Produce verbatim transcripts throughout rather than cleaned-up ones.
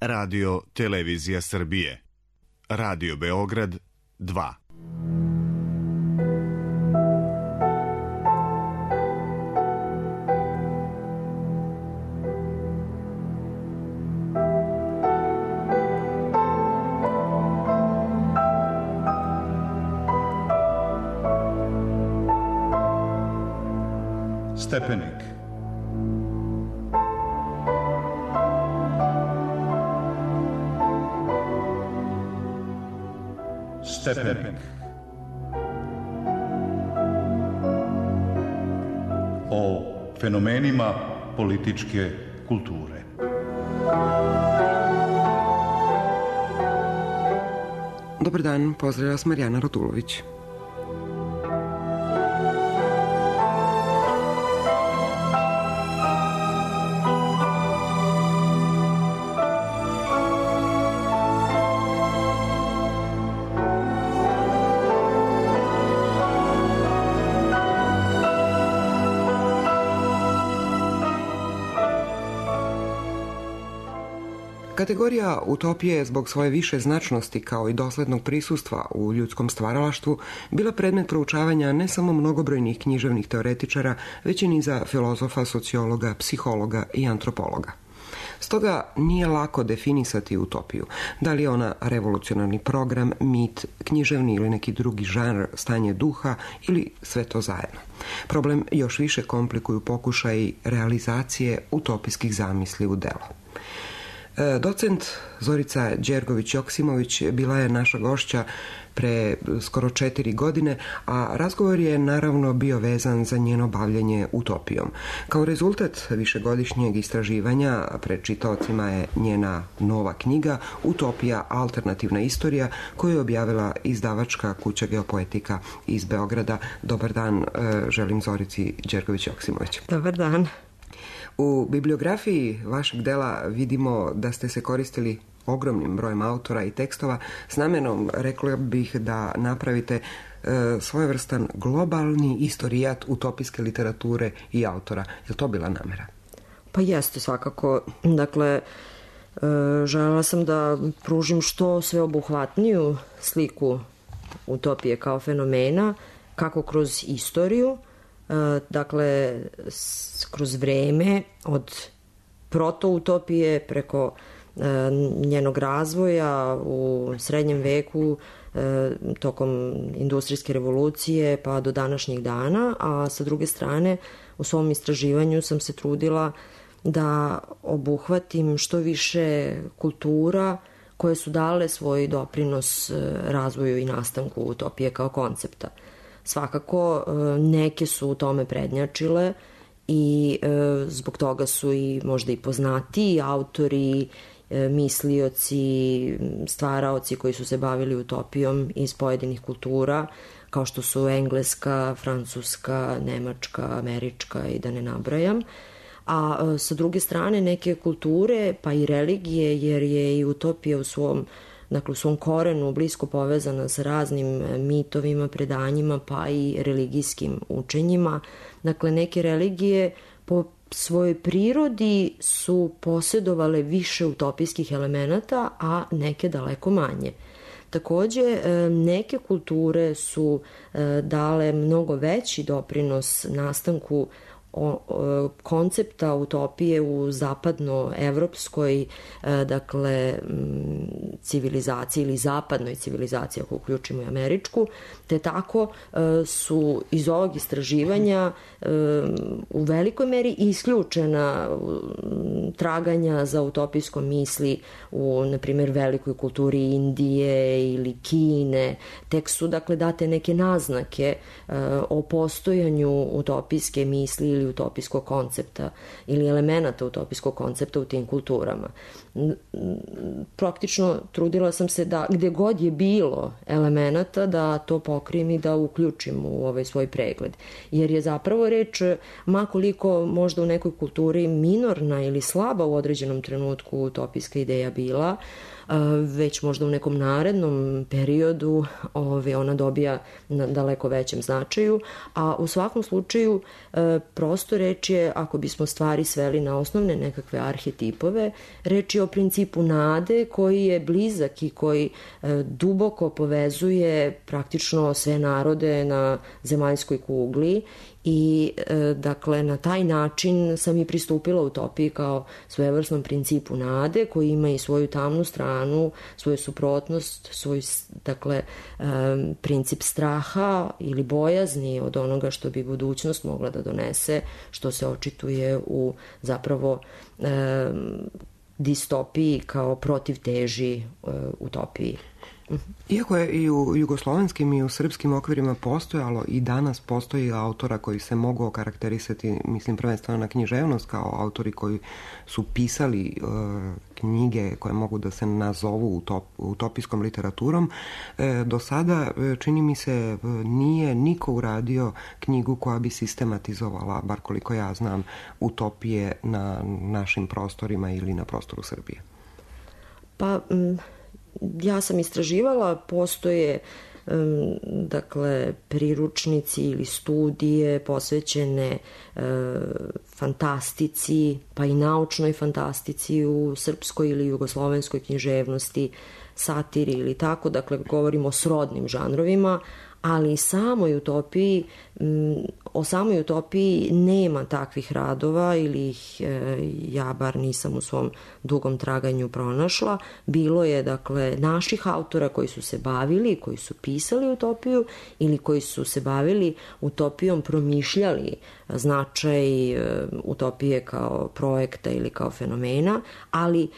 Radio Televizija Srbije. Radio Beograd dva. Stepenik. Stepenik. O fenomenima političke kulture. Dobar dan, pozdravlja vas Marijana Radulović. Kategorija utopije je zbog svoje više značnosti kao i doslednog prisustva u ljudskom stvaralaštvu bila predmet proučavanja ne samo mnogobrojnih književnih teoretičara, već i niza filozofa, sociologa, psihologa i antropologa. Stoga nije lako definisati utopiju. Da li je ona revolucionarni program, mit, književni ili neki drugi žanr, stanje duha ili sve to zajedno. Problem još više komplikuju pokušaji realizacije utopijskih zamisli u delo. Docent Zorica Đergović-Joksimović bila je naša gošća pre skoro četiri godine, a razgovor je naravno bio vezan za njeno bavljenje utopijom. Kao rezultat višegodišnjeg istraživanja pred čitaocima je njena nova knjiga Utopija, alternativna istorija, koju je objavila izdavačka kuća Geopoetika iz Beograda. Dobar dan, želim Zorici Đergović-Joksimović. Dobar dan. U bibliografiji vašeg dela vidimo da ste se koristili ogromnim brojem autora i tekstova s namenom, rekla bih, da napravite e, svojevrstan globalni istorijat utopijske literature i autora. Je li to bila namera? Pa jeste, svakako. Dakle, e, želela sam da pružim što sveobuhvatniju sliku utopije kao fenomena, kako kroz istoriju, dakle kroz vreme od protoutopije preko njenog razvoja u srednjem veku tokom industrijske revolucije pa do današnjih dana, a sa druge strane u svom istraživanju sam se trudila da obuhvatim što više kultura koje su dale svoj doprinos razvoju i nastanku utopije kao koncepta. Svakako, neke su u tome prednjačile i zbog toga su i možda i poznatiji autori, mislioci, stvaraoci koji su se bavili utopijom iz pojedinih kultura, kao što su engleska, francuska, nemačka, američka i da ne nabrajam. A sa druge strane neke kulture, pa i religije, jer je i utopija u svom dakle u svom korenu blisko povezana sa raznim mitovima, predanjima, pa i religijskim učenjima. Dakle, neke religije po svojoj prirodi su posjedovale više utopijskih elemenata, a neke daleko manje. Takođe, neke kulture su dale mnogo veći doprinos nastanku O, o, koncepta utopije u zapadnoevropskoj dakle civilizaciji ili zapadnoj civilizaciji, ako uključimo i američku, te tako su iz ovog istraživanja u velikoj meri isključena traganja za utopijskom misli u, na primjer, velikoj kulturi Indije ili Kine. Tek su, dakle, date neke naznake o postojanju utopijske misli ili utopijskog koncepta ili elemenata utopijskog koncepta u tim kulturama. Praktično trudila sam se da gde god je bilo elemenata da to pokrijem i da uključim u ovaj svoj pregled. Jer je zapravo reč, makoliko možda u nekoj kulturi minorna ili slaba u određenom trenutku utopijska ideja bila, već možda u nekom narednom periodu ove, ona dobija na daleko većem značaju, a u svakom slučaju proces prosto reč je, ako bismo stvari sveli na osnovne nekakve arhetipove, reč je o principu nade koji je blizak i koji e, duboko povezuje praktično sve narode na zemaljskoj kugli i e, dakle na taj način sam i pristupila utopiji kao svojevrsnom principu nade koji ima i svoju tamnu stranu, svoju suprotnost, svoj dakle e, princip straha ili bojazni od onoga što bi budućnost mogla da donese, što se očituje u zapravo e, distopiji kao protivteži e, utopiji. Iako je i u jugoslovenskim i u srpskim okvirima postojalo i danas postoji autora koji se mogu okarakterisati, mislim prvenstveno na književnost, kao autori koji su pisali uh, knjige koje mogu da se nazovu utop, utopijskom literaturom, e, do sada čini mi se nije niko uradio knjigu koja bi sistematizovala, bar koliko ja znam, utopije na našim prostorima ili na prostoru Srbije. Pa... Mm... Ja sam istraživala, postoje um, dakle priručnici ili studije posvećene uh, fantastici, pa i naučnoj fantastici u srpskoj ili jugoslovenskoj književnosti, satiri ili tako, dakle govorimo o srodnim žanrovima, ali i samoj utopiji, o samoj utopiji nema takvih radova ili ih ja bar nisam u svom dugom traganju pronašla. Bilo je dakle naših autora koji su se bavili, koji su pisali utopiju ili koji su se bavili utopijom, promišljali značaj utopije kao projekta ili kao fenomena, ali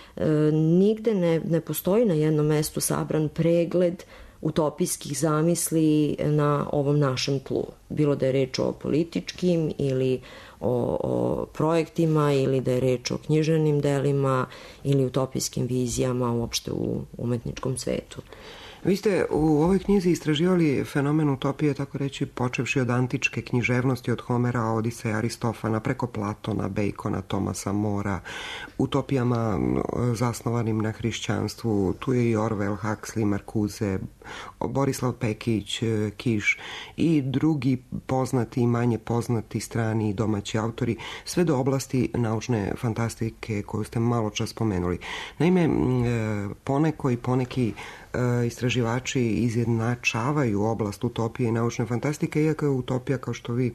nigde ne, ne postoji na jednom mestu sabran pregled utopijskih zamisli na ovom našem tlu. Bilo da je reč o političkim ili o, o projektima ili da je reč o književnim delima ili utopijskim vizijama uopšte u umetničkom svetu. Vi ste u ovoj knjizi istraživali fenomen utopije, tako reći, počevši od antičke književnosti, od Homera, Odiseja, Aristofana, preko Platona, Bacona, Tomasa Mora, utopijama zasnovanim na hrišćanstvu. Tu je i Orwell, Huxley, Marcuse, Borislav Pekić, Kiš i drugi poznati i manje poznati strani i domaći autori, sve do oblasti naučne fantastike koju ste malo čas spomenuli. Naime, poneko i poneki istraživači izjednačavaju oblast utopije i naučne fantastike, iako je utopija, kao što vi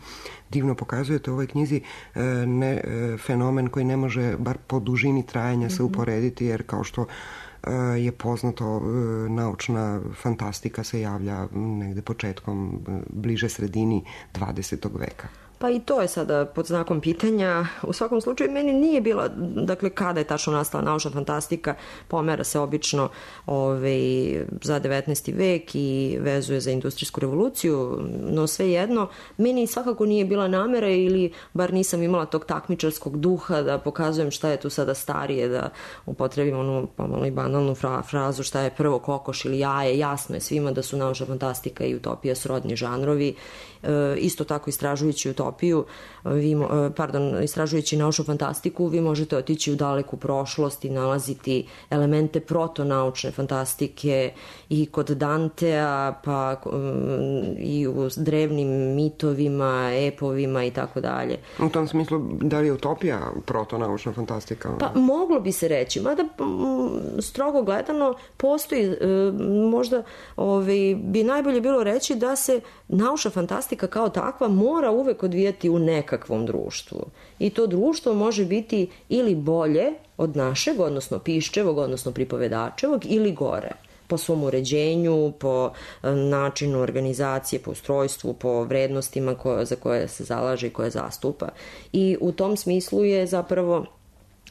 divno pokazujete u ovoj knjizi, ne, fenomen koji ne može, bar po dužini trajanja, se uporediti, jer kao što je poznato, naučna fantastika se javlja negde početkom, bliže sredini dvadesetog veka. Pa i to je sada pod znakom pitanja. U svakom slučaju meni nije bila, dakle kada je tačno nastala naučna fantastika, pomera se obično ovaj, za devetnaesti vek i vezuje za industrijsku revoluciju, no svejedno, meni svakako nije bila namera ili bar nisam imala tog takmičarskog duha da pokazujem šta je tu sada starije, da upotrebim onu pomalo i banalnu fra, frazu šta je prvo kokoš ili jaje. Jasno je svima da su naučna fantastika i utopija srodni žanrovi. E, isto tako istražujući utopiju, vi, pardon, istražujući naučnu fantastiku, vi možete otići u daleku prošlost i nalaziti elemente protonaučne fantastike i kod Dantea, pa i u drevnim mitovima, epovima i tako dalje. U tom smislu, da li je utopija protonaučna fantastika? Pa moglo bi se reći, mada strogo gledano postoji, možda ovaj, bi najbolje bilo reći da se naučna fantastika kao takva mora uvek odvijati u nekakvom društvu. I to društvo može biti ili bolje od našeg, odnosno piščevog, odnosno pripovedačevog, ili gore. Po svom uređenju, po načinu organizacije, po ustrojstvu, po vrednostima koje, za koje se zalaže i koje zastupa. I u tom smislu je zapravo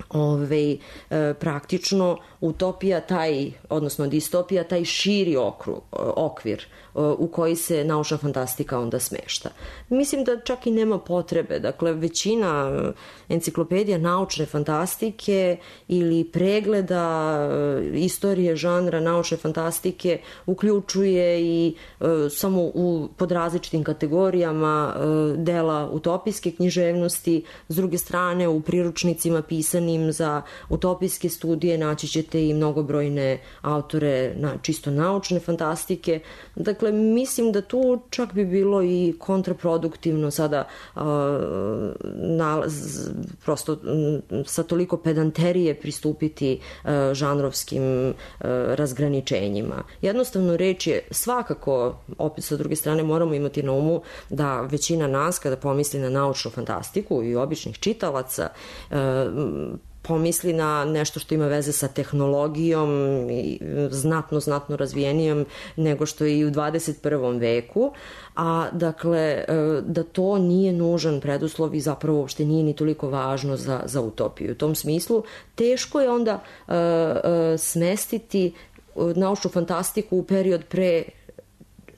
Ove, e, praktično utopija taj, odnosno distopija taj širi okru, okvir e, u koji se naučna fantastika onda smešta. Mislim da čak i nema potrebe, dakle većina enciklopedija naučne fantastike ili pregleda e, istorije žanra naučne fantastike uključuje i e, samo u, pod različitim kategorijama e, dela utopijske književnosti, s druge strane u priručnicima pisani vezanim za utopijske studije naći ćete i mnogobrojne autore na čisto naučne fantastike. Dakle, mislim da tu čak bi bilo i kontraproduktivno sada uh, nalaz, prosto um, sa toliko pedanterije pristupiti uh, žanrovskim uh, razgraničenjima. Jednostavno reč je svakako, opet sa druge strane moramo imati na umu da većina nas kada pomisli na naučnu fantastiku i običnih čitalaca uh, pomisli na nešto što ima veze sa tehnologijom i znatno, znatno razvijenijom nego što je i u dvadeset prvom veku, a dakle da to nije nužan preduslov i zapravo uopšte nije ni toliko važno za, za utopiju. U tom smislu teško je onda uh, uh, smestiti naučnu fantastiku u period pre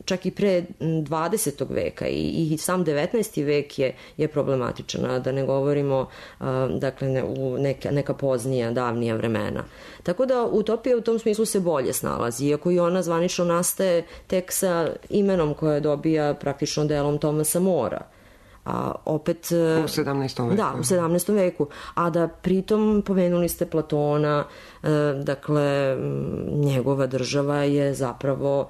čak i pre dvadesetog veka i, i sam devetnaesti vek je, je problematičan, a da ne govorimo uh, dakle, ne, u neka, neka poznija, davnija vremena. Tako da utopija u tom smislu se bolje snalazi, iako i ona zvanično nastaje tek sa imenom koje dobija praktično delom Thomasa Morea. A opet u sedamnaestom veku. Da, u sedamnaestom veku. A da pritom pomenuli ste Platona, dakle njegova država je zapravo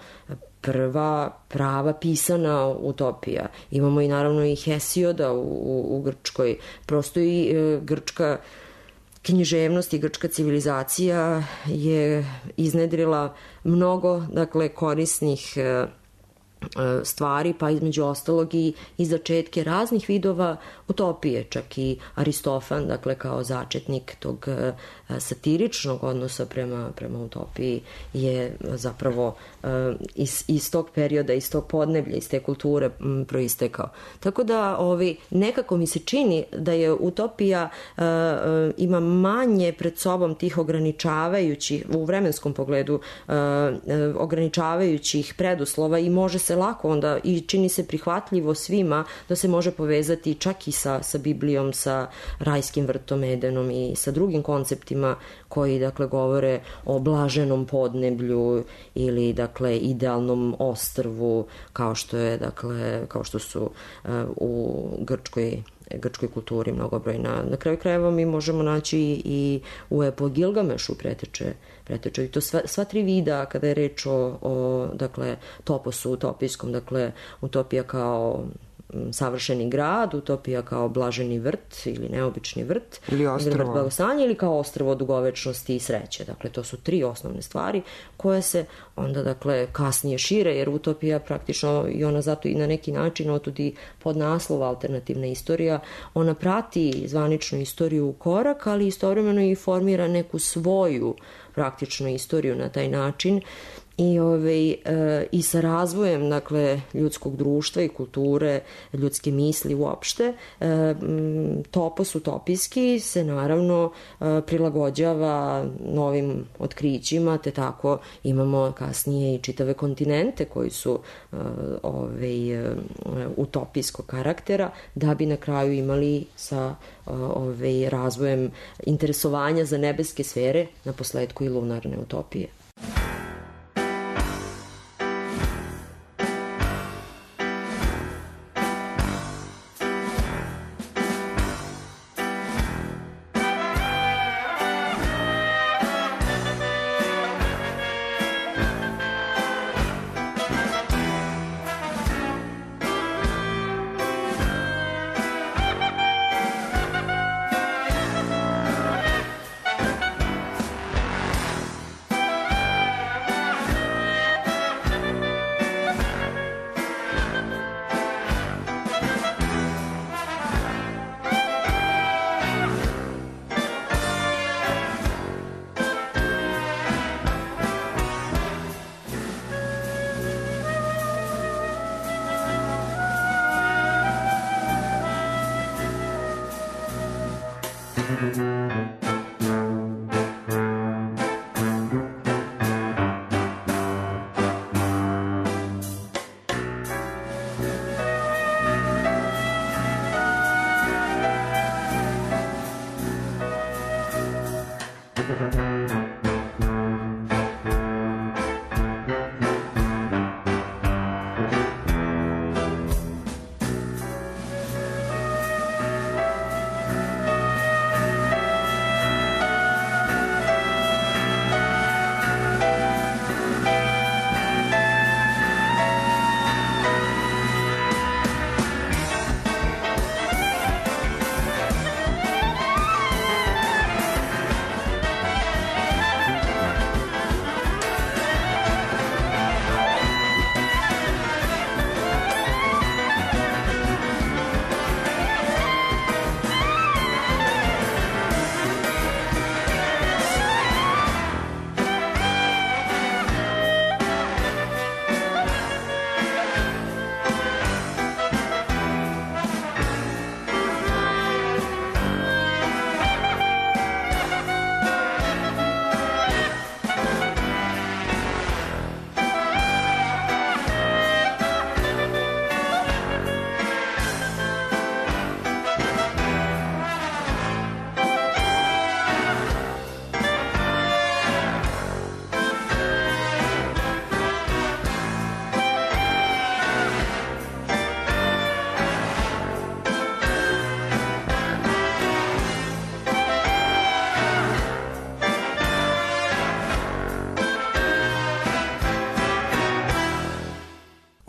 prva prava pisana utopija. Imamo i naravno i Hesioda u, u, u Grčkoj. Prosto i e, grčka književnost i grčka civilizacija je iznedrila mnogo, dakle, korisnih e, stvari, pa između ostalog i, i začetke raznih vidova utopije, čak i Aristofan, dakle kao začetnik tog uh, satiričnog odnosa prema, prema utopiji je zapravo uh, iz, iz tog perioda, iz tog podneblja, iz te kulture m, proistekao. Tako da ovi, nekako mi se čini da je utopija uh, uh, ima manje pred sobom tih ograničavajućih, u vremenskom pogledu uh, uh, ograničavajućih preduslova i može se lako onda i čini se prihvatljivo svima da se može povezati čak i sa, sa Biblijom, sa rajskim vrtom Edenom i sa drugim konceptima koji dakle govore o blaženom podneblju ili dakle idealnom ostrvu kao što je dakle kao što su uh, u grčkoj grčkoj kulturi mnogobrojna. Na kraju krajeva mi možemo naći i u epu o Gilgamešu preteče, preteče. I to sva, sva tri vida kada je reč o, o dakle, toposu utopijskom, dakle utopija kao savršeni grad, utopija kao blaženi vrt ili neobični vrt ili ostrvo blagostanja ili kao ostrvo dugovečnosti i sreće. Dakle, to su tri osnovne stvari koje se onda dakle kasnije šire, jer utopija praktično i ona zato i na neki način otudi pod naslov alternativna istorija, ona prati zvaničnu istoriju u korak, ali istovremeno i formira neku svoju praktičnu istoriju na taj način. I, ovaj, e, i sa razvojem dakle, ljudskog društva i kulture, ljudske misli uopšte, e, topos utopijski se naravno e, prilagođava novim otkrićima, te tako imamo kasnije i čitave kontinente koji su e, ovaj, e, utopijskog karaktera, da bi na kraju imali sa ovaj, razvojem interesovanja za nebeske sfere, na posledku i lunarne utopije.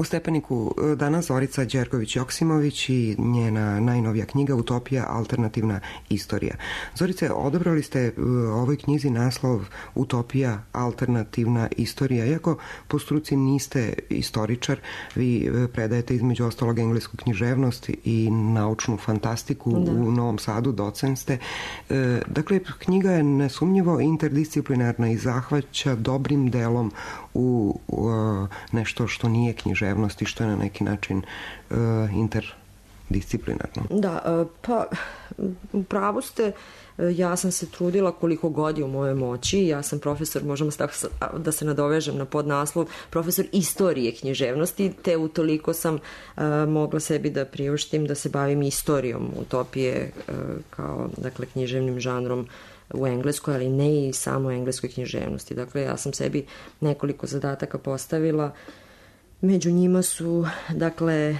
U Stepeniku danas Zorica Đergović-Joksimović i njena najnovija knjiga Utopija, alternativna istorija. Zorice, odabrali ste u ovoj knjizi naslov Utopija, alternativna istorija. Iako po struci niste istoričar, vi predajete između ostalog englesku književnost i naučnu fantastiku da. U Novom Sadu, docent ste. Dakle, knjiga je nesumnjivo interdisciplinarna i zahvaća dobrim delom u, u nešto što nije književnost i što je na neki način uh, interdisciplinarno. Da, pa u pravu ste. Ja sam se trudila koliko god je u mojoj moći. Ja sam profesor, možemo da se nadovežem na podnaslov, profesor istorije književnosti, te utoliko sam uh, mogla sebi da priuštim da se bavim istorijom utopije uh, kao, dakle, književnim žanrom u engleskoj, ali ne i samo engleskoj književnosti. Dakle, ja sam sebi nekoliko zadataka postavila. Među njima su, dakle,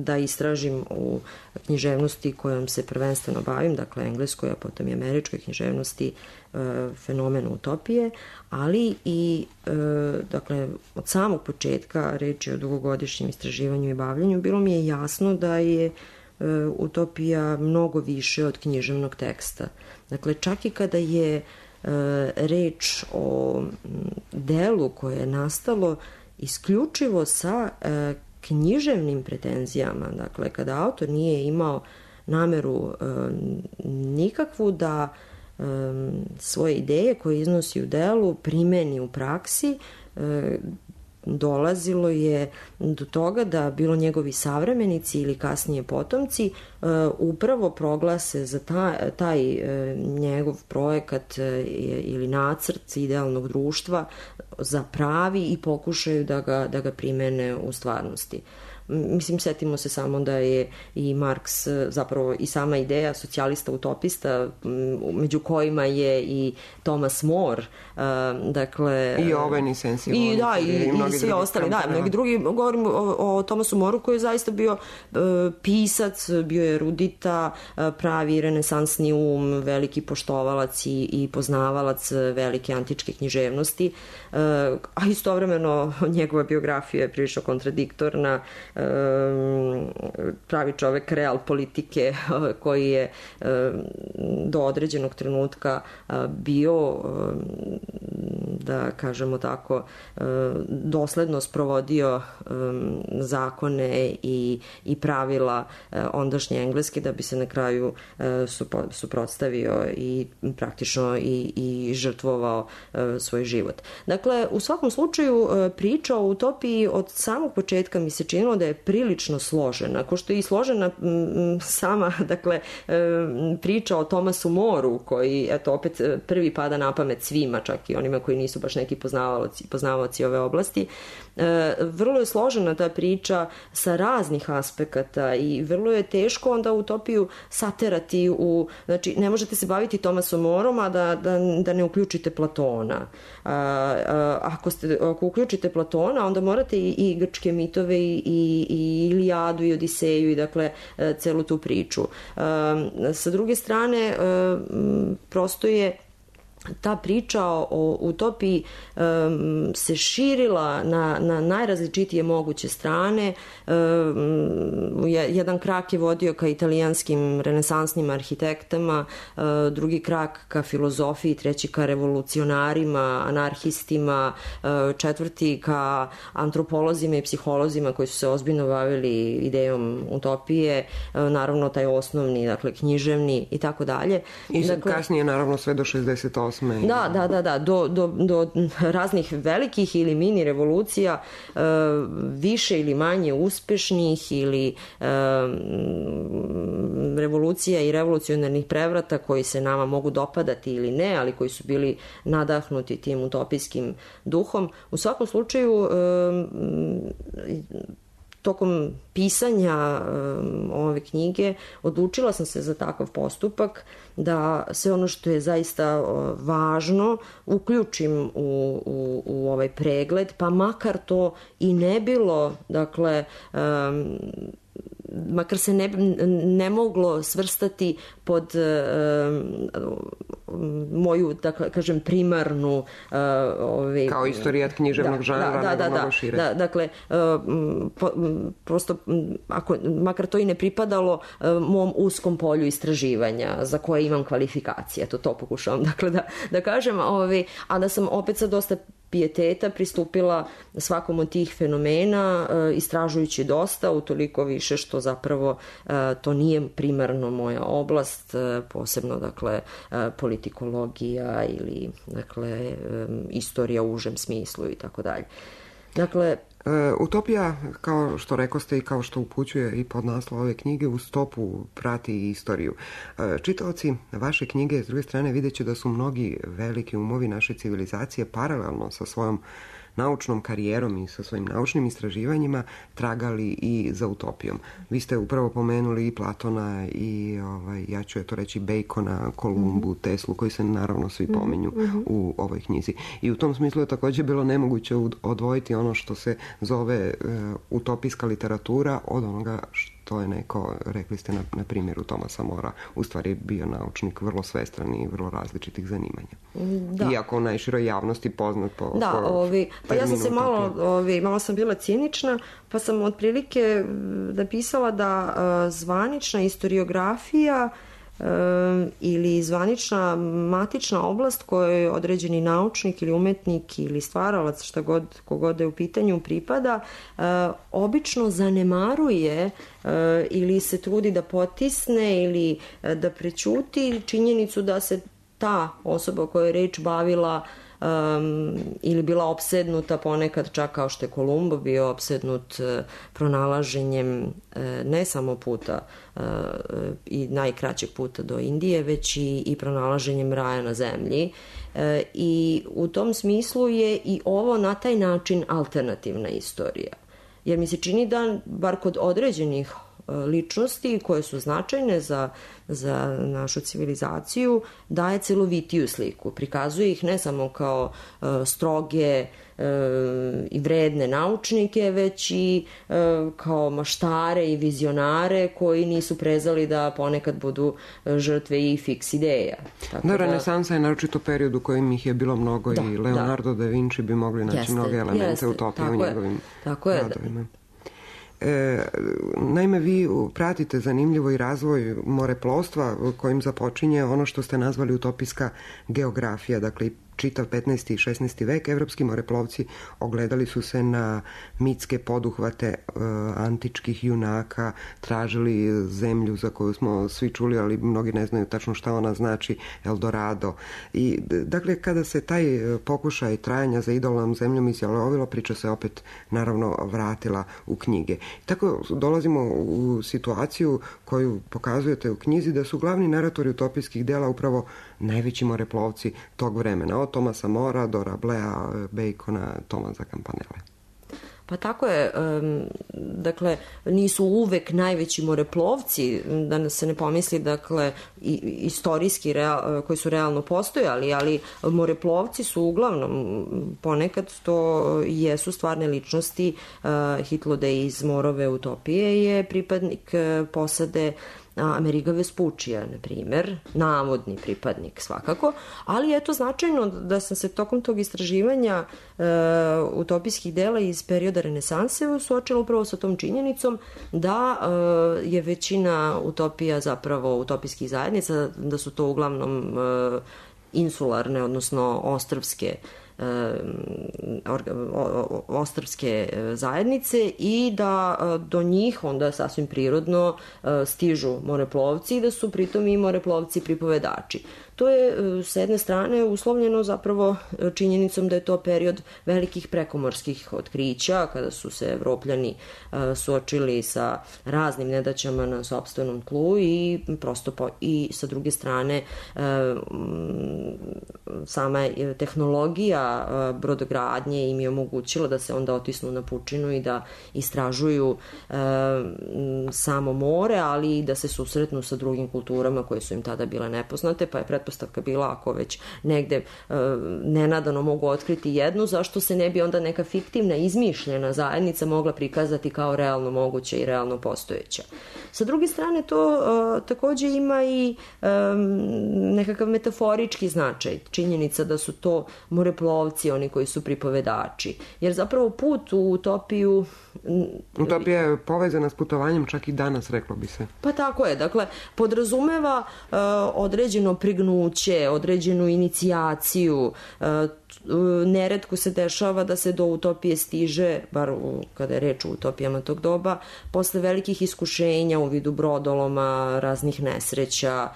da istražim u književnosti kojom se prvenstveno bavim, dakle, engleskoj, a potom i američkoj književnosti, fenomen utopije, ali i, dakle, od samog početka, reč je o dugogodišnjem istraživanju i bavljanju, bilo mi je jasno da je utopija mnogo više od književnog teksta. Dakle, čak i kada je reč o delu koje je nastalo isključivo sa e, književnim pretenzijama, dakle, kada autor nije imao nameru e, nikakvu da e, svoje ideje koje iznosi u delu primeni u praksi, e, dolazilo je do toga da bilo njegovi savremenici ili kasnije potomci uh, upravo proglase za taj, taj uh, njegov projekat uh, ili nacrt idealnog društva za pravi i pokušaju da ga, da ga primene u stvarnosti. Mislim, setimo se samo da je i Marks, zapravo i sama ideja socijalista utopista, među kojima je i Thomas More, dakle... I Owen i Sensible. I da, i, i, i svi ostali, da, mnogi drugi. Govorim o, o Thomasu Moreu koji je zaista bio uh, pisac, bio je erudita, uh, pravi renesansni um, veliki poštovalac i, i poznavalac velike antičke književnosti, uh, a istovremeno njegova biografija je prilično kontradiktorna, pravi čovek real politike koji je do određenog trenutka bio, da kažemo tako, dosledno sprovodio zakone i, i pravila ondašnje engleske da bi se na kraju suprotstavio i praktično i, i žrtvovao svoj život. Dakle, u svakom slučaju priča o utopiji od samog početka mi se činilo da je prilično složena, ako što je i složena m, sama, dakle, priča o Thomasu Moreu, koji, eto, opet prvi pada na pamet svima, čak i onima koji nisu baš neki poznavaoci, poznavaoci ove oblasti. E, vrlo je složena ta priča sa raznih aspekata i vrlo je teško onda utopiju saterati u, znači, ne možete se baviti Thomasom Moreom, a da, da, da ne uključite Platona. A, a, ako, ste, ako uključite Platona, onda morate i, i grčke mitove i, i, i Ilijadu i Odiseju i, dakle, celu tu priču. A, sa druge strane, a, prosto je ta priča o utopiji um, se širila na, na najrazličitije moguće strane. Um, jedan krak je vodio ka italijanskim renesansnim arhitektama, uh, drugi krak ka filozofiji, treći ka revolucionarima, anarhistima, uh, četvrti ka antropolozima i psiholozima koji su se ozbiljno bavili idejom utopije, uh, naravno taj osnovni, dakle, književni i tako dalje. I dakle, kasnije naravno sve do šezdeset osme. Da, da, da, da, do, do, do raznih velikih ili mini revolucija, e, više ili manje uspešnih ili e, revolucija i revolucionarnih prevrata koji se nama mogu dopadati ili ne, ali koji su bili nadahnuti tim utopijskim duhom. U svakom slučaju, e, tokom pisanja um, ove knjige odlučila sam se za takav postupak, da sve ono što je zaista uh, važno uključim u, u, u ovaj pregled, pa makar to i ne bilo, dakle, um, makar se ne, ne moglo svrstati pod um, moju, dakle, kažem, primarnu... Ove, kao istorijat književnog da, žanra, da, nego da, mnogo da, šire. Da, dakle, po, prosto, ako, makar to i ne pripadalo mom uskom polju istraživanja za koje imam kvalifikacije, eto to pokušavam, dakle, da, da kažem, ove, a da sam opet sa dosta pijeteta pristupila svakom od tih fenomena, istražujući dosta, utoliko više što zapravo to nije primarno moja oblast, posebno, dakle, politikologija ili, dakle, istorija u užem smislu i tako dalje. Dakle, Utopija, kao što rekoste i kao što upućuje i podnaslov ove knjige, u stopu prati i istoriju. Čitaoci vaše knjige, s druge strane, vidjet će da su mnogi veliki umovi naše civilizacije paralelno sa svojom naučnom karijerom i sa svojim naučnim istraživanjima tragali i za utopijom. Vi ste upravo pomenuli i Platona i, ovaj, ja ću je to reći, Bacona, Kolumbu, mm-hmm. Teslu, koji se naravno svi pominju mm-hmm. u ovoj knjizi. I u tom smislu je također bilo nemoguće odvojiti ono što se zove uh, utopijska literatura od onoga što je neko, rekli ste na, na primjeru Tomasa Mora, u stvari bio naučnik vrlo svestran i vrlo različitih zanimanja. Da. Iako u najširoj javnosti poznat po... Da, po ovi, pa ja sam se malo, ovi, malo sam bila cinična, pa sam otprilike napisala da uh, zvanična historiografija ili zvanična matična oblast kojoj određeni naučnik ili umetnik ili stvaralac, šta god, kogod je u pitanju, pripada, obično zanemaruje ili se trudi da potisne ili da prećuti činjenicu da se ta osoba o kojoj je reč bavila Um, ili bila opsednuta ponekad, čak kao što je Kolumbo bio opsednut uh, pronalaženjem uh, ne samo puta uh, i najkraćeg puta do Indije, već i, i pronalaženjem raja na zemlji. Uh, i u tom smislu je i ovo na taj način alternativna istorija. Jer mi se čini da, bar kod određenih ličnosti koje su značajne za, za našu civilizaciju, daje celovitiju sliku. Prikazuje ih ne samo kao uh, stroge uh, i vredne naučnike, već i uh, kao maštare i vizionare koji nisu prezali da ponekad budu žrtve i fiks ideja. Tako da, renesansa je naročito period u kojem ih je bilo mnogo, da, i Leonardo da. da Vinci bi mogli naći jeste, mnoge elemente jeste, utopije u njegovim tako je, radovima. E, naime, vi pratite zanimljivo i razvoj moreplovstva kojim započinje ono što ste nazvali utopijska geografija, dakle čitav petnaesti i šesnaesti vek evropski moreplovci ogledali su se na mitske poduhvate e, antičkih junaka, tražili zemlju za koju smo svi čuli, ali mnogi ne znaju tačno šta ona znači, Eldorado. I dakle, kada se taj pokušaj trajanja za idolnom zemljom izjalovilo, priča se opet naravno vratila u knjige. Tako dolazimo u situaciju koju pokazujete u knjizi, da su glavni naratori utopijskih dela upravo najveći moreplovci tog vremena, od Tomasa Mora do Rablea, Bacona, Tomasa Campanelle. Pa tako je, dakle, nisu uvek najveći moreplovci, da se ne pomisli, dakle, istorijski real, koji su realno postojali, ali moreplovci su uglavnom, ponekad to jesu stvarne ličnosti. Hitlode iz Morove utopije je pripadnik posade Ameriga Vespuccija, na primjer, navodni pripadnik svakako, ali je to značajno da sam se tokom tog istraživanja e, utopijskih dela iz perioda renesanse suočila upravo sa tom činjenicom da e, je većina utopija zapravo utopijskih zajednica, da su to uglavnom e, insularne, odnosno ostrvske ostrvske zajednice i da do njih onda sasvim prirodno stižu moreplovci i da su pritom i moreplovci pripovedači. To je s jedne strane uslovljeno zapravo činjenicom da je to period velikih prekomorskih otkrića, kada su se Evropljani suočili sa raznim nedaćama na sopstvenom tlu i prosto po, i sa druge strane sama tehnologija brodogradnje im je omogućila da se onda otisnu na pučinu i da istražuju samo more, ali i da se susretnu sa drugim kulturama koje su im tada bile nepoznate, pa je pretpostavka bila ako već negde e, nenadano mogu otkriti jednu, zašto se ne bi onda neka fiktivna, izmišljena zajednica mogla prikazati kao realno moguća i realno postojeća. Sa druge strane, to e, takođe ima i e, nekakav metaforički značaj, činjenica da su to moreplovci, oni koji su pripovedači. Jer zapravo put u utopiju... Utopija je povezana s putovanjem čak i danas, reklo bi se. Pa tako je, dakle, podrazumeva uh, određeno prignuće, određenu inicijaciju, uh, neretko se dešava da se do utopije stiže, bar u, kada je reč o utopijama tog doba, posle velikih iskušenja u vidu brodoloma, raznih nesreća,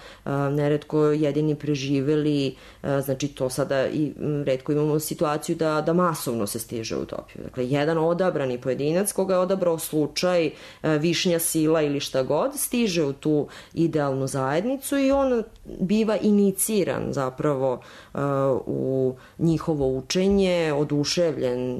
neretko jedini preživeli, znači to sada i retko imamo situaciju da, da masovno se stiže u utopiju. Dakle, jedan odabrani pojedinac koga je odabrao slučaj, višnja sila ili šta god, stiže u tu idealnu zajednicu i on biva iniciran zapravo u njihovo učenje, oduševljen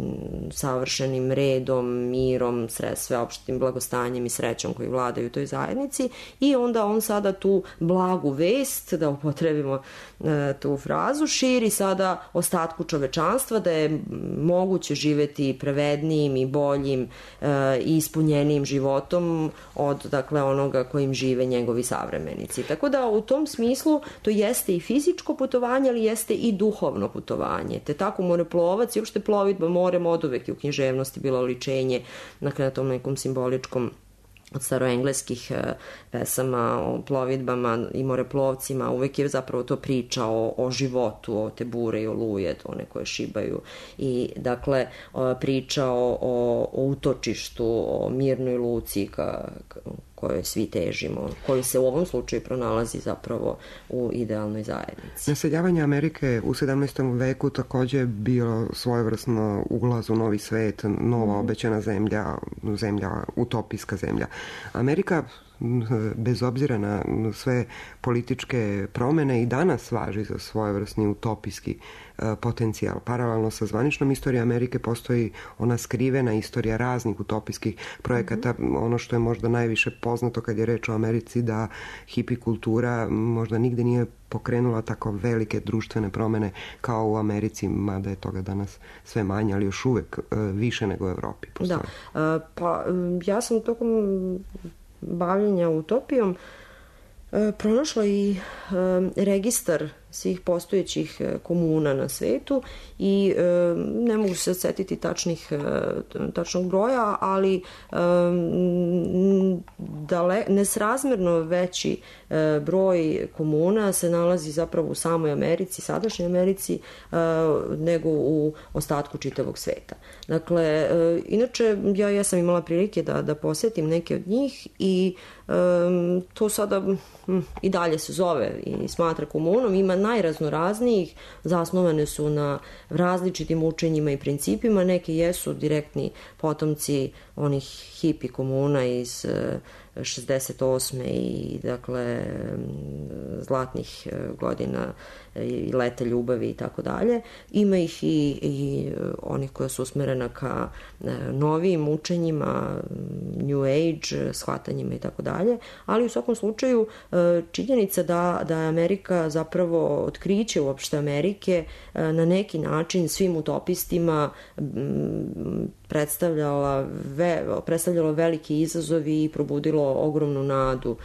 savršenim redom, mirom, sveopštim blagostanjem i srećom koji vladaju u toj zajednici i onda on sada tu blagu vest, da upotrebimo e, tu frazu, širi sada ostatku čovečanstva da je moguće živeti pravednijim i boljim e, i ispunjenijim životom od, dakle, onoga kojim žive njegovi savremenici. Tako da u tom smislu to jeste i fizičko putovanje, ali jeste i duhovno putovanje. Te tako moreplovac i uopšte plovidba morem od uvek i u književnosti bilo ličenje, dakle, na tom nekom simboličkom od staroengleskih pesama o plovidbama i moreplovcima, uvek je zapravo to priča o, o životu, o te bure i oluje, one koje šibaju i dakle priča o, o, o utočištu, o mirnoj luci ka, ka, kojoj svi težimo, koji se u ovom slučaju pronalazi zapravo u idealnoj zajednici. Naseljavanje Amerike u sedamnaestom veku takođe je bilo svojevrsno ulaz u novi svet, nova obećana zemlja, zemlja, utopijska zemlja. Amerika, bez obzira na sve političke promene, i danas važi za svojevrsni utopijski potencijal. Paralelno sa zvaničnom istorijom Amerike postoji ona skrivena istorija raznih utopijskih projekata. Mm-hmm. Ono što je možda najviše poznato kad je reč o Americi, da hipi kultura možda nigde nije pokrenula tako velike društvene promene kao u Americi, mada je toga danas sve manje, ali još uvek više nego u Evropi postoji. Da, pa ja sam tokom bavljenja utopijom pronašla i registar svih postojećih komuna na svetu i e, ne mogu se setiti tačnih, tačnog broja, ali e, dale, nesrazmerno veći e, broj komuna se nalazi zapravo u samoj Americi, sadašnjoj Americi, e, nego u ostatku čitavog sveta. Dakle, e, inače, ja, ja sam imala prilike da, da posetim neke od njih i e, to sada hm, i dalje se zove i smatra komunom, ima najraznoraznijih, zasnovane su na različitim učenjima i principima, neke jesu direktni potomci onih hipi komuna iz šezdeset osme i dakle zlatnih godina i leta ljubavi i tako dalje. Ima ih i, i onih koja su usmerena ka novijim učenjima, New Age, shvatanjima i tako dalje, ali u svakom slučaju činjenica da, da je Amerika zapravo otkriće uopšte Amerike na neki način svim utopistima predstavljala ve, predstavljalo veliki izazovi i probudilo ogromnu nadu.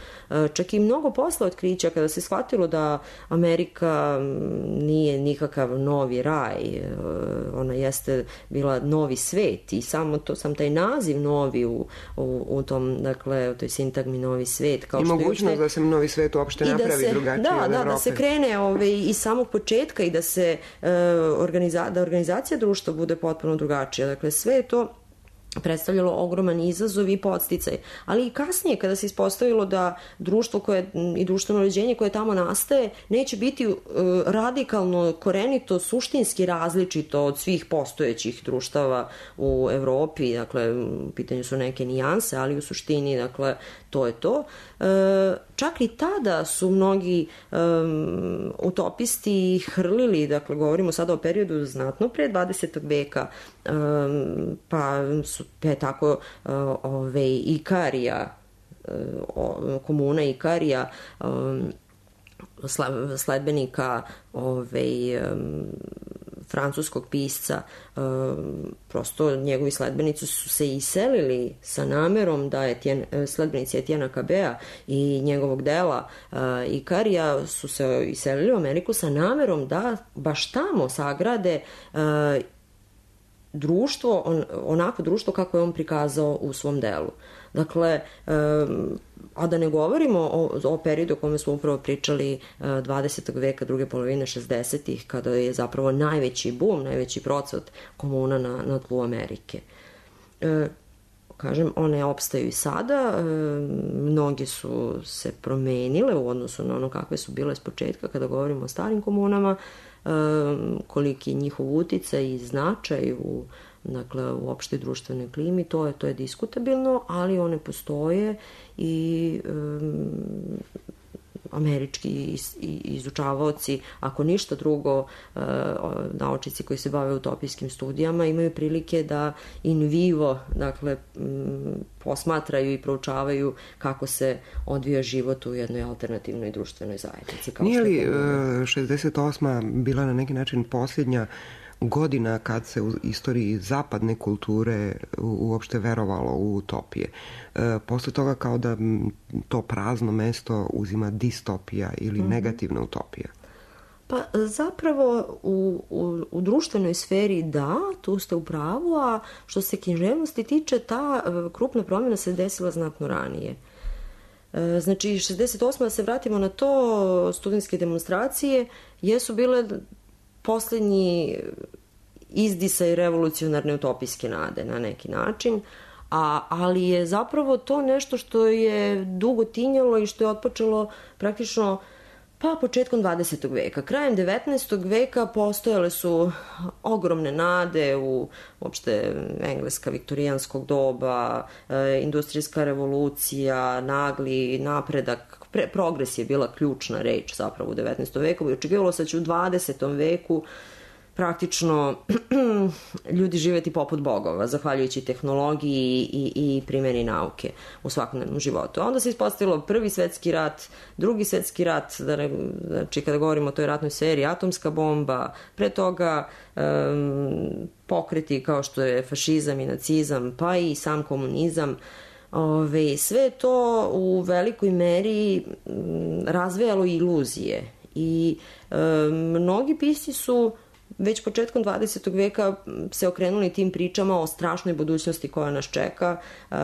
Čak i mnogo posle otkrića kada se shvatilo da Amerika nije nikakav novi raj, ona jeste bila novi svet i samo to, sam taj naziv novi u, u, u tom, dakle, u toj sintagmi novi svet. Kao I što mogućnost je, da se novi svet uopšte napravi da se, drugačije da, od da, Evrope. Da se krene ove, iz samog početka i da se e, organiza, da organizacija društva bude potpuno drugačija. Dakle, sve je to predstavljalo ogroman izazov i podsticaj. Ali i kasnije, kada se ispostavilo da društvo koje, i društveno uređenje koje tamo nastaje neće biti uh, radikalno, korenito, suštinski različito od svih postojećih društava u Evropi, dakle, u pitanju su neke nijanse, ali u suštini, dakle, to je to. E, čak i tada su mnogi um, utopisti hrlili, dakle, govorimo sada o periodu znatno pre dvadesetog veka, um, pa su pa je tako uh, ove Ikarija, uh, komuna Ikarija, um, sledbenika ovaj, francuskog pisca, prosto njegovi sledbenici su se iselili sa namerom da je sledbenici Etiena Cabea i njegovog dela Ikarija su se iselili u Ameriku sa namerom da baš tamo sagrade društvo, on, onako društvo kako je on prikazao u svom delu. Dakle, a da ne govorimo o, o periodu o kome smo upravo pričali dvadesetog veka, druge polovine šezdesetih, kada je zapravo najveći bum, najveći procvat komuna na, na tlu Amerike. E, kažem, one opstaju i sada, e, mnoge su se promenile u odnosu na ono kakve su bile s početka kada govorimo o starim komunama, e, koliki je njihov uticaj i značaj u dakle, u opštoj društvenoj klimi, to je, to je diskutabilno, ali one postoje i um, američki iz, izučavaoci, ako ništa drugo, uh, naučnici koji se bave utopijskim studijama imaju prilike da in vivo, dakle, um, posmatraju i proučavaju kako se odvija život u jednoj alternativnoj društvenoj zajednici. Kao Nije li uh, šezdeset osma bila na neki način posljednja godina kad se u istoriji zapadne kulture uopšte verovalo u utopije? E, posle toga kao da to prazno mesto uzima distopija ili mm-hmm. negativna utopija. Pa zapravo u, u, u društvenoj sferi da, tu ste u pravu, a što se književnosti tiče, ta krupna promjena se desila znatno ranije. E, znači, šezdeset osma da se vratimo na to, studentske demonstracije jesu bile poslednji izdisaj revolucionarne utopijske nade na neki način, a, ali je zapravo to nešto što je dugo tinjalo i što je otpočelo praktično pa početkom dvadesetog veka. Krajem devetnaestog veka postojale su ogromne nade u uopšte engleska viktorijanskog doba, e, industrijska revolucija, nagli napredak, pre, progres je bila ključna reč zapravo u devetnaestom veku i očekivalo se da će u dvadesetom veku praktično ljudi živeti poput bogova, zahvaljujući tehnologiji i, i primjeni nauke u svakodnevnom životu. A onda se ispostavilo prvi svetski rat, drugi svetski rat, da ne, znači kada govorimo o toj ratnoj seriji, atomska bomba, pre toga um, pokreti kao što je fašizam i nacizam, pa i sam komunizam. Ove, sve je to u velikoj meri um, razvejalo iluzije i um, mnogi pisci su već početkom dvadesetog veka se okrenuli tim pričama o strašnoj budućnosti koja nas čeka uh,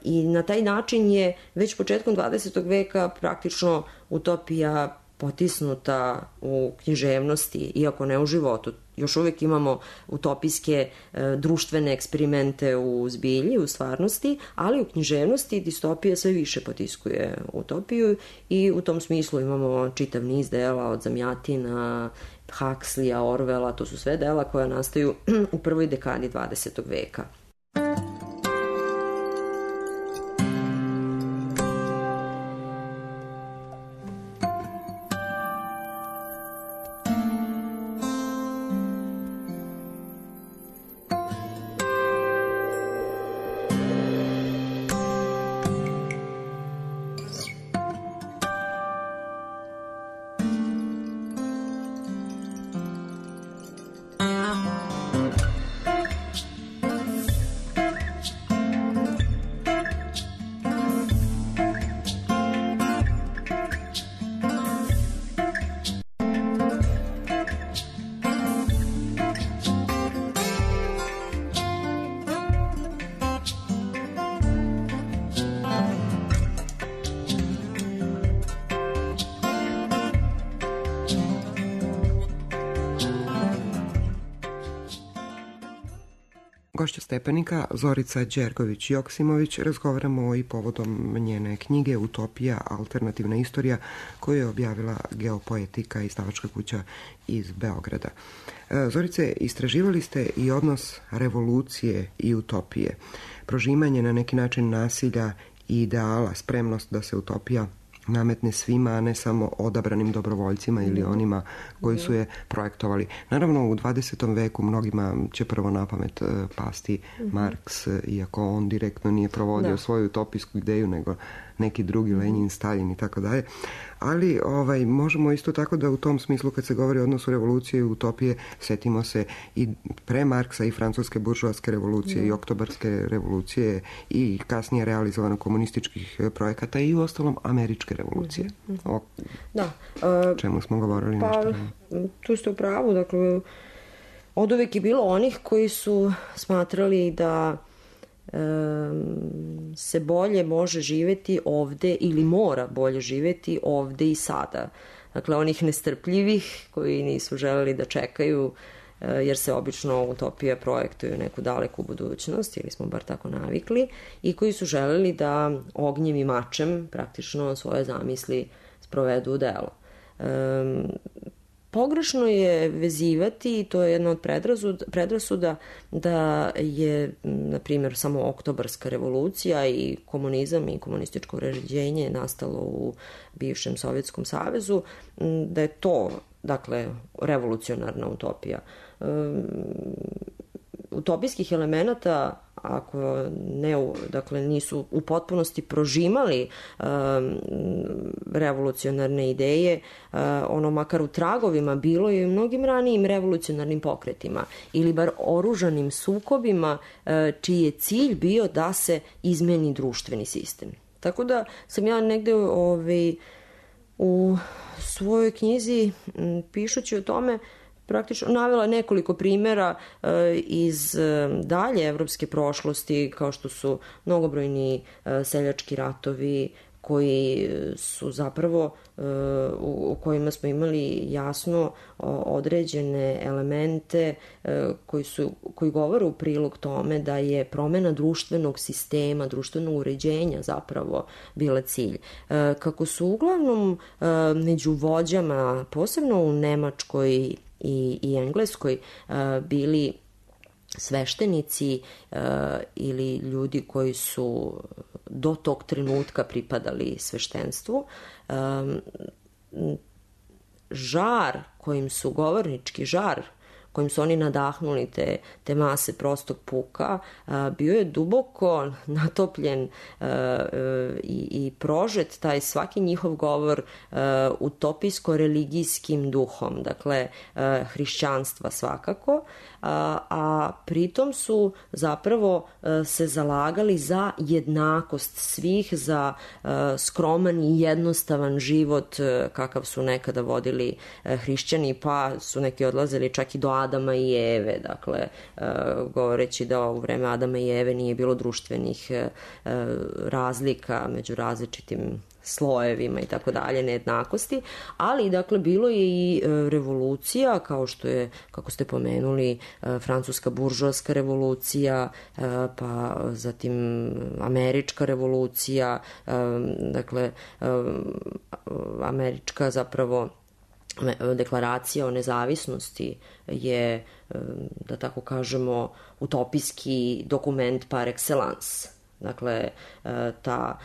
i na taj način je već početkom dvadesetog veka praktično utopija potisnuta u književnosti, iako ne u životu. Još uvijek imamo utopijske uh, društvene eksperimente u zbilji, u stvarnosti, ali u književnosti distopija sve više potiskuje utopiju i u tom smislu imamo čitav niz dela od Zamjatina, Huxleya, Orwella, to su sve dela koja nastaju u prvoj dekadi dvadesetog veka. Gošća Stepenika, Zorica Đergović-Joksimović, razgovaramo i povodom njene knjige Utopija, alternativna istorija, koju je objavila Geopoetika, izdavačka kuća iz Beograda. Zorice, istraživali ste i odnos revolucije i utopije, prožimanje na neki način nasilja i ideala, spremnost da se utopija nametne svima, a ne samo odabranim dobrovoljcima ili onima koji su je projektovali. Naravno, u dvadesetom veku mnogima će prvo na pamet pasti Marks, iako on direktno nije provodio da. svoju utopijsku ideju, nego neki drugi, Lenin, Stalin i tako dalje. Ali ovaj, možemo isto tako da u tom smislu kad se govori o odnosu revolucije i utopije, setimo se i pre Marksa i francuske buržoaske revolucije mm. i oktobarske revolucije i kasnije realizovano komunističkih projekata i u ostalom američke revolucije. Mm. O da. Uh, čemu smo govorili pa, nešto? Tu ste u pravu, dakle, od uvek je bilo onih koji su smatrali da se bolje može živeti ovde ili mora bolje živeti ovde i sada. Dakle, onih nestrpljivih koji nisu želeli da čekaju, jer se obično utopija projektuju neku daleku budućnost, ili smo bar tako navikli, i koji su želeli da ognjem i mačem praktično svoje zamisli sprovedu u delo. Um, Pogrešno je vezivati, i to je jedna od predrasuda, da je, na primjer, samo oktobarska revolucija i komunizam i komunističko uređenje nastalo u bivšem Sovjetskom savezu, da je to, dakle, revolucionarna utopija. Utopijskih elemenata, ako ne, dakle, nisu u potpunosti prožimali um, revolucionarne ideje, uh, ono makar u tragovima bilo je i mnogim ranijim revolucionarnim pokretima ili bar oružanim sukobima uh, čiji je cilj bio da se izmeni društveni sistem. Tako da sam ja negde ovaj, u svojoj knjizi m, pišući o tome praktično navela nekoliko primjera e, iz e, dalje evropske prošlosti, kao što su mnogobrojni e, seljački ratovi koji su zapravo e, u, u kojima smo imali jasno o, određene elemente e, koji, su, koji govore u prilog tome da je promena društvenog sistema, društvenog uređenja zapravo bila cilj. E, kako su uglavnom e, među vođama, posebno u Nemačkoj i, i Engleskoj, uh, bili sveštenici uh, ili ljudi koji su do tog trenutka pripadali sveštenstvu. Um, žar kojim su, govornički žar kojim su oni nadahnuli te, te mase prostog puka, a, bio je duboko natopljen a, a, i, i prožet taj svaki njihov govor utopijsko-religijskim duhom, dakle a, hrišćanstva svakako, a, a pritom su zapravo a, se zalagali za jednakost svih, za a, skroman i jednostavan život a, kakav su nekada vodili a, hrišćani, pa su neki odlazili čak i do Adama i Eve, dakle, uh, govoreći da u vreme Adama i Eve nije bilo društvenih uh, razlika među različitim slojevima i tako dalje, nejednakosti, ali dakle bilo je i uh, revolucija, kao što je, kako ste pomenuli, uh, francuska buržoaska revolucija, uh, pa zatim američka revolucija, uh, dakle, uh, američka zapravo deklaracija o nezavisnosti je, da tako kažemo, utopijski dokument par excellence. Dakle, ta,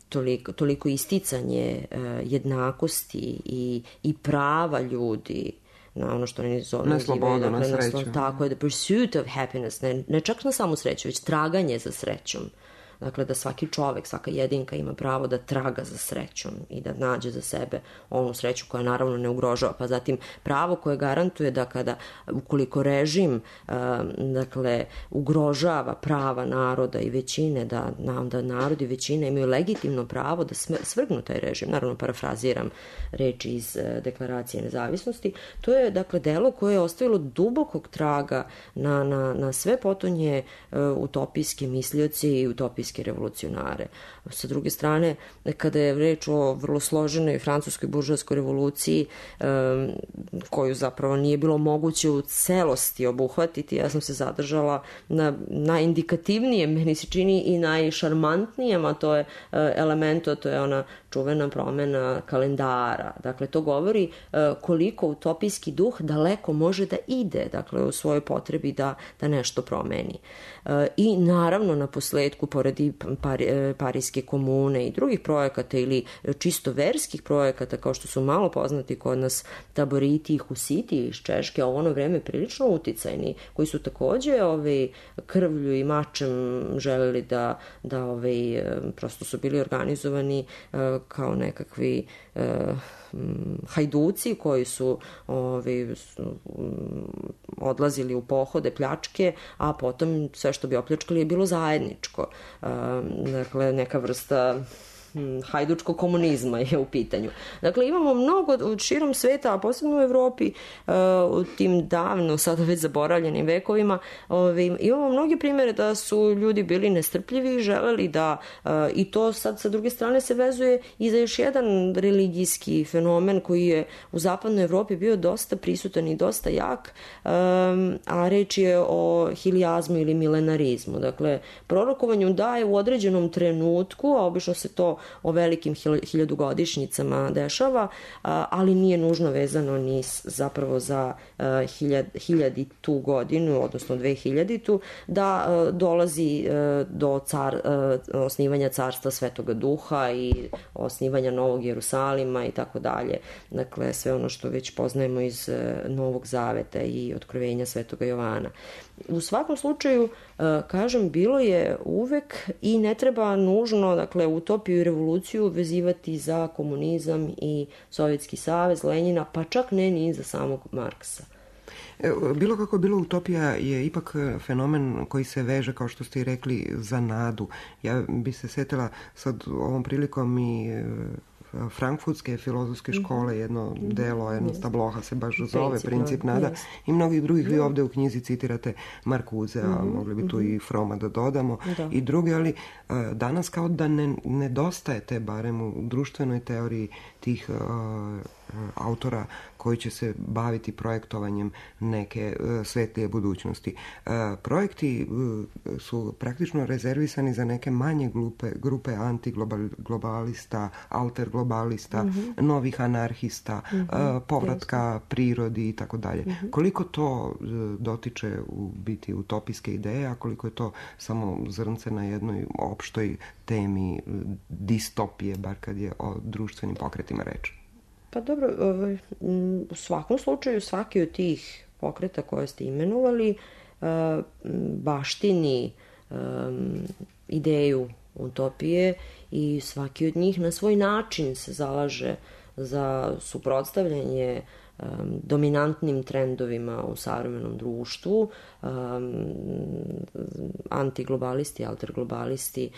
toliko, toliko isticanje jednakosti i, i prava ljudi na ono što oni zove, na slobodu, dakle, na sreću. Na, tako je, the pursuit of happiness, ne, ne čak na samu sreću, već traganje za srećom. Dakle, da svaki čovek, svaka jedinka ima pravo da traga za srećom i da nađe za sebe onu sreću koja naravno ne ugrožava. Pa zatim pravo koje garantuje da kada, ukoliko režim dakle, ugrožava prava naroda i većine, da, da narod i većina imaju legitimno pravo da svrgnu taj režim. Naravno, parafraziram reči iz Deklaracije nezavisnosti. To je, dakle, delo koje je ostavilo dubokog traga na, na, na sve potonje utopijske mislioci i utopijske revolucionare. Sa druge strane, kada je reč o vrlo složenoj francuskoj buržoaskoj revoluciji, um, koju zapravo nije bilo moguće u celosti obuhvatiti, ja sam se zadržala na najindikativnijem, meni se čini i najšarmantnijem, a to je uh, elemento, to je ona čuvena promena kalendara. Dakle, to govori uh, koliko utopijski duh daleko može da ide, dakle, u svojoj potrebi da, da nešto promeni. Uh, I naravno, na posledku, pored ti par, parijske komune i drugih projekata ili čisto verskih projekata kao što su malo poznati kod nas taboriti i husiti iz Češke, a u ono vreme prilično uticajni, koji su takođe ovaj, krvlju i mačem želeli da, da ovaj, prosto su bili organizovani kao nekakvi hajduci koji su ovaj, odlazili u pohode, pljačke, a potom sve što bi opljačkali je bilo zajedničko. Dakle, neka vrsta hajdučkog komunizma je u pitanju. Dakle, imamo mnogo širom sveta, a posebno u Evropi, u tim davno, sada već zaboravljenim vekovima, imamo mnoge primere da su ljudi bili nestrpljivi i želeli da, i to sad sa druge strane se vezuje i za još jedan religijski fenomen koji je u zapadnoj Evropi bio dosta prisutan i dosta jak, a reč je o hilijazmu ili milenarizmu. Dakle, prorokovanju da je u određenom trenutku, a obično se to o velikim hiljadugodišnjicama dešava, ali nije nužno vezano ni zapravo za hiljaditu godinu, odnosno dve hiljaditu, da dolazi do car, osnivanja carstva Svetoga Duha i osnivanja Novog Jerusalima i tako dalje. Dakle, sve ono što već poznajemo iz Novog Zaveta i otkrovenja Svetoga Jovana. U svakom slučaju, kažem, bilo je uvek i ne treba nužno, dakle, utopiju i revoluciju vezivati za komunizam i Sovjetski savez, Lenjina, pa čak ne ni za samog Marksa. Bilo kako bilo, utopija je ipak fenomen koji se veže, kao što ste i rekli, za nadu. Ja bi se setila sad ovom prilikom i frankfurtske filozofske škole, jedno delo, jedno stabloha se baš zove Princip nada i mnogih drugih. Vi ovde u knjizi citirate Markuze, a mogli bi tu i Froma da dodamo i druge, ali danas kao da ne nedostajete, barem u društvenoj teoriji, tih autora koji će se baviti projektovanjem neke svetlije budućnosti. Projekti su praktično rezervisani za neke manje grupe, grupe antiglobalista, alterglobalista, mm-hmm. novih anarhista, mm-hmm. povratka prirodi i tako dalje. Koliko to dotiče u biti utopijske ideje, a koliko je to samo zrnce na jednoj opštoj temi distopije, bar kad je o društvenim pokretima reč? Pa dobro, u svakom slučaju svaki od tih pokreta koje ste imenovali baštini ideju utopije i svaki od njih na svoj način se zalaže za suprotstavljanje dominantnim trendovima u savremenom društvu. Antiglobalisti, alterglobalisti,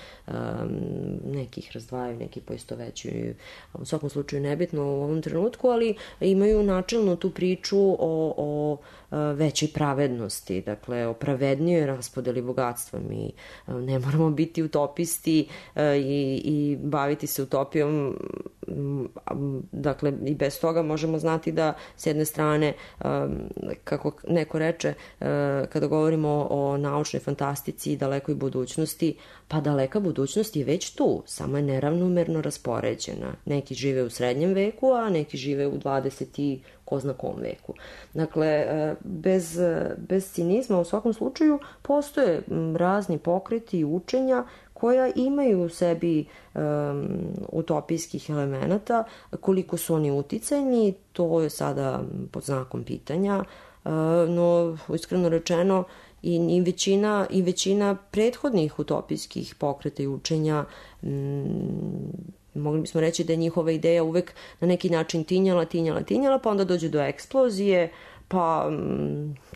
nekih razdvajaju, neki poistovećuju. U svakom slučaju nebitno u ovom trenutku, ali imaju načelno tu priču o, o većoj pravednosti, dakle o pravednijoj raspodeli bogatstva. Mi ne moramo biti utopisti i, i baviti se utopijom, dakle i bez toga možemo znati da s jedne strane, kako neko reče, kada govorimo o naučnoj fantastici i dalekoj budućnosti, pa daleka budućnost je već tu, samo je neravnomerno raspoređena. Neki žive u srednjem veku, a neki žive u dvadeset i ko zna kom veku. Dakle, bez, bez cinizma u svakom slučaju postoje razni pokreti i učenja koja imaju u sebi um, utopijskih elemenata. Koliko su oni uticajni, to je sada pod znakom pitanja, uh, no iskreno rečeno i, i, većina, i većina prethodnih utopijskih pokreta i učenja mm, mogli bismo reći da je njihova ideja uvek na neki način tinjala, tinjala, tinjala, pa onda dođe do eksplozije, pa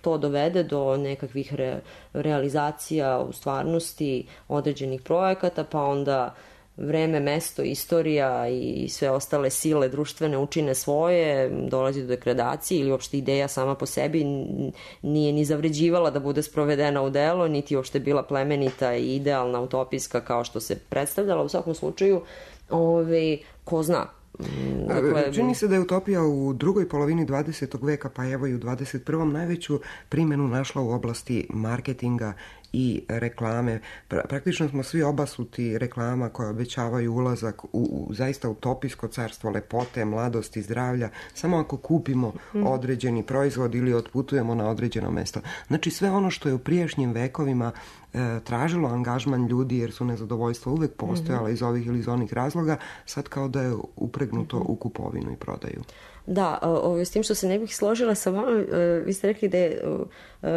to dovede do nekakvih re, realizacija u stvarnosti određenih projekata, pa onda vreme, mesto, istorija i sve ostale sile društvene učine svoje, dolazi do degradacije ili uopšte ideja sama po sebi nije ni zavređivala da bude sprovedena u delo, niti uopšte bila plemenita i idealna, utopijska kao što se predstavljala. U svakom slučaju, ove, ko zna. Dakle, čini se da je utopija u drugoj polovini dvadesetog veka, pa evo i u dvadeset prvom najveću primjenu našla u oblasti marketinga i reklame. Praktično smo svi obasuti reklama koje obećavaju ulazak u, u zaista utopijsko carstvo lepote, mladosti, zdravlja, samo ako kupimo određeni proizvod ili otputujemo na određeno mesto. Znači sve ono što je u prijašnjim vekovima e, tražilo angažman ljudi jer su nezadovoljstva uvek postojala iz ovih ili iz onih razloga, sad kao da je upregnuto u kupovinu i prodaju. Da, o, s tim što se ne bih složila sa vama, vi ste rekli da je uh,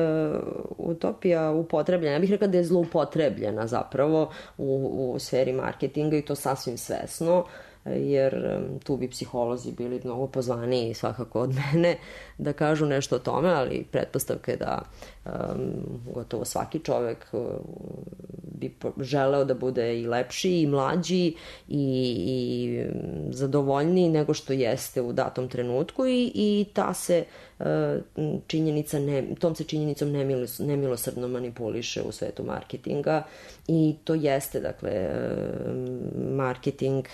utopija upotrebljena. Ja bih rekla da je zloupotrebljena zapravo u, u sferi marketinga i to sasvim svesno, jer tu bi psiholozi bili mnogo pozvaniji svakako od mene da kažu nešto o tome, ali pretpostavka je da um, gotovo svaki čovek uh, bi želeo da bude i lepši i mlađi i, i zadovoljniji nego što jeste u datom trenutku i, i ta se uh, činjenica ne, tom se činjenicom nemilos, nemilosrdno manipuliše u svetu marketinga i to jeste, dakle, marketing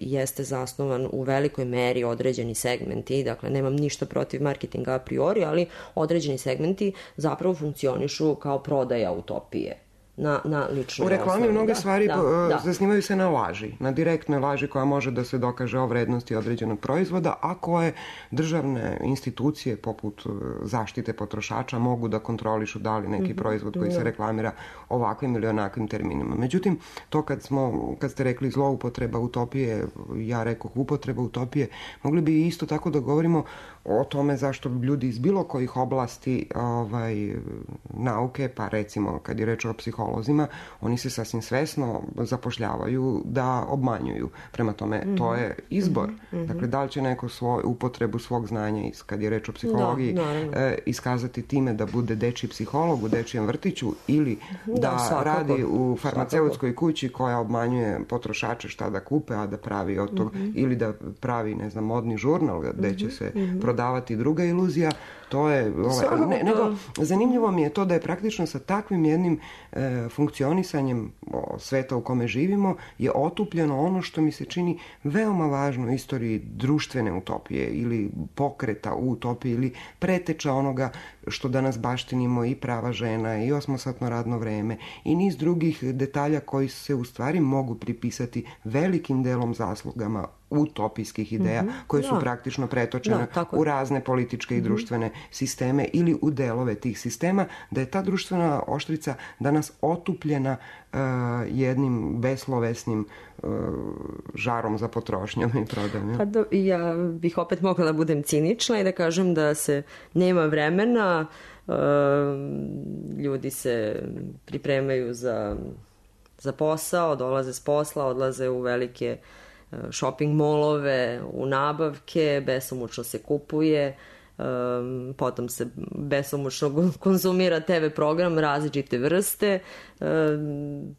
jeste zasnovan u velikoj meri određeni segmenti, dakle nemam ništa protiv marketinga a priori, ali određeni segmenti zapravo funkcionišu kao prodaja utopije. Na, na ličnoj u reklami osnovi. mnoge da, stvari da, da. zasnivaju se na laži, na direktnoj laži koja može da se dokaže o vrednosti određenog proizvoda, a koje državne institucije poput zaštite potrošača mogu da kontrolišu da li neki mm-hmm. proizvod koji se reklamira ovakvim ili onakvim terminima. Međutim, to kad smo, kad ste rekli zloupotreba utopije, ja rekoh upotreba utopije, mogli bi isto tako da govorimo o tome zašto ljudi iz bilo kojih oblasti ovaj, nauke, pa recimo kad je reč o psiholozima, oni se sasvim svesno zapošljavaju da obmanjuju. Prema tome, mm-hmm. to je izbor. Mm-hmm. Dakle, da li će neko svoj, upotrebu svog znanja, kad je reč o psihologiji, da, eh, iskazati time da bude dečiji psiholog u dečijem vrtiću ili da, da radi u farmaceutskoj kući koja obmanjuje potrošače šta da kupe, a da pravi od toga, mm-hmm. ili da pravi, ne znam, modni žurnal gde mm-hmm. će se mm-hmm. prodavati druga iluzija. To je, ovaj, ne, nego, zanimljivo mi je to da je praktično sa takvim jednim e, funkcionisanjem o, sveta u kome živimo je otupljeno ono što mi se čini veoma važno u istoriji društvene utopije ili pokreta u utopiji ili preteča onoga što danas baštinimo i prava žena i osmosatno radno vreme i niz drugih detalja koji se u stvari mogu pripisati velikim delom zaslugama utopijskih ideja mm-hmm. koje su da. praktično pretočene da, u razne političke i društvene mm-hmm. sisteme ili u delove tih sistema, da je ta društvena oštrica danas otupljena uh, jednim beslovesnim uh, žarom za potrošnjom i prodajom. Ja? Pa do, ja bih opet mogla da budem cinična i da kažem da se nema vremena, uh, ljudi se pripremaju za, za posao, dolaze s posla, odlaze u velike shopping molove, u nabavke, besomučno se kupuje, um, potom se besomučno konzumira te ve program različite vrste, um,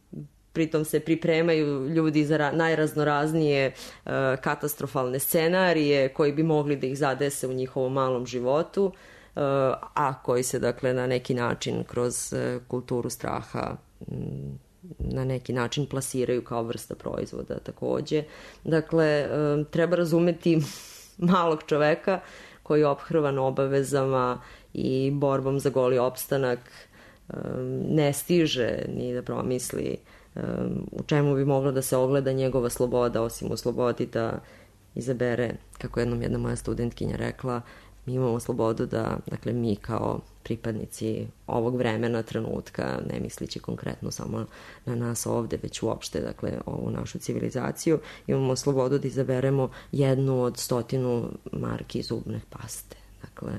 pritom se pripremaju ljudi za ra- najraznoraznije uh, katastrofalne scenarije koji bi mogli da ih zadese u njihovom malom životu, uh, a koji se, dakle, na neki način kroz uh, kulturu straha um, na neki način plasiraju kao vrsta proizvoda takođe. Dakle, treba razumeti malog čoveka koji je ophrvan obavezama i borbom za goli opstanak, ne stiže ni da promisli u čemu bi mogla da se ogleda njegova sloboda, osim u slobodi da izabere, kako jednom jedna moja studentkinja rekla, mi imamo slobodu da, dakle, mi kao pripadnici ovog vremena, trenutka, ne mislići konkretno samo na nas ovde, već uopšte, dakle, ovu našu civilizaciju, imamo slobodu da izaberemo jednu od stotinu marki zubne paste. Dakle,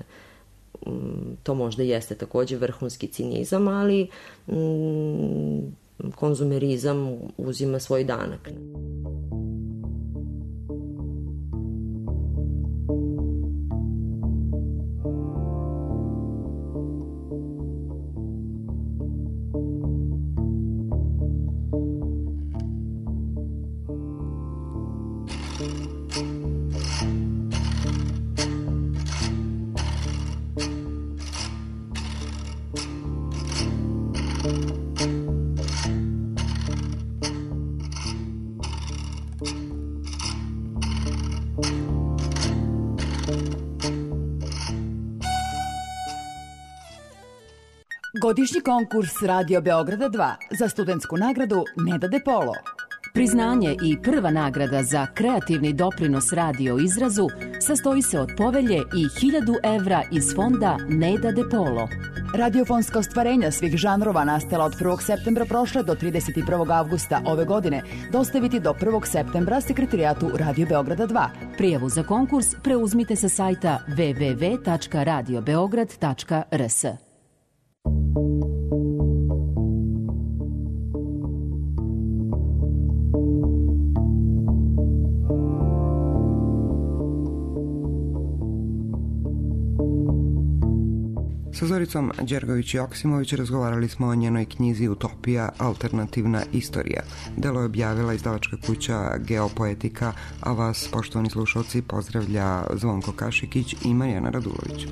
to možda jeste takođe vrhunski cinizam, ali mm, konzumerizam uzima svoj danak. Godišnji konkurs Radio Beograda dva za studentsku nagradu Neda De Polo. Priznanje i prva nagrada za kreativni doprinos radio izrazu sastoji se od povelje i hiljadu evra iz fonda Neda De Polo. Radiofonska ostvarenja svih žanrova nastala od prvog septembra prošle do trideset prvog avgusta ove godine dostaviti do prvog septembra sekretarijatu Radio Beograda dva. Prijavu za konkurs preuzmite sa sajta w w w tačka radio beograd tačka r s. Sa Zoricom Đergović-Joksimović razgovarali smo o njenoj knjizi Utopija, alternativna istorija. Delo je objavila izdavačka kuća Geopoetika, a vas, poštovani slušalci, pozdravlja Zvonko Kašikić i Marijana Radulović.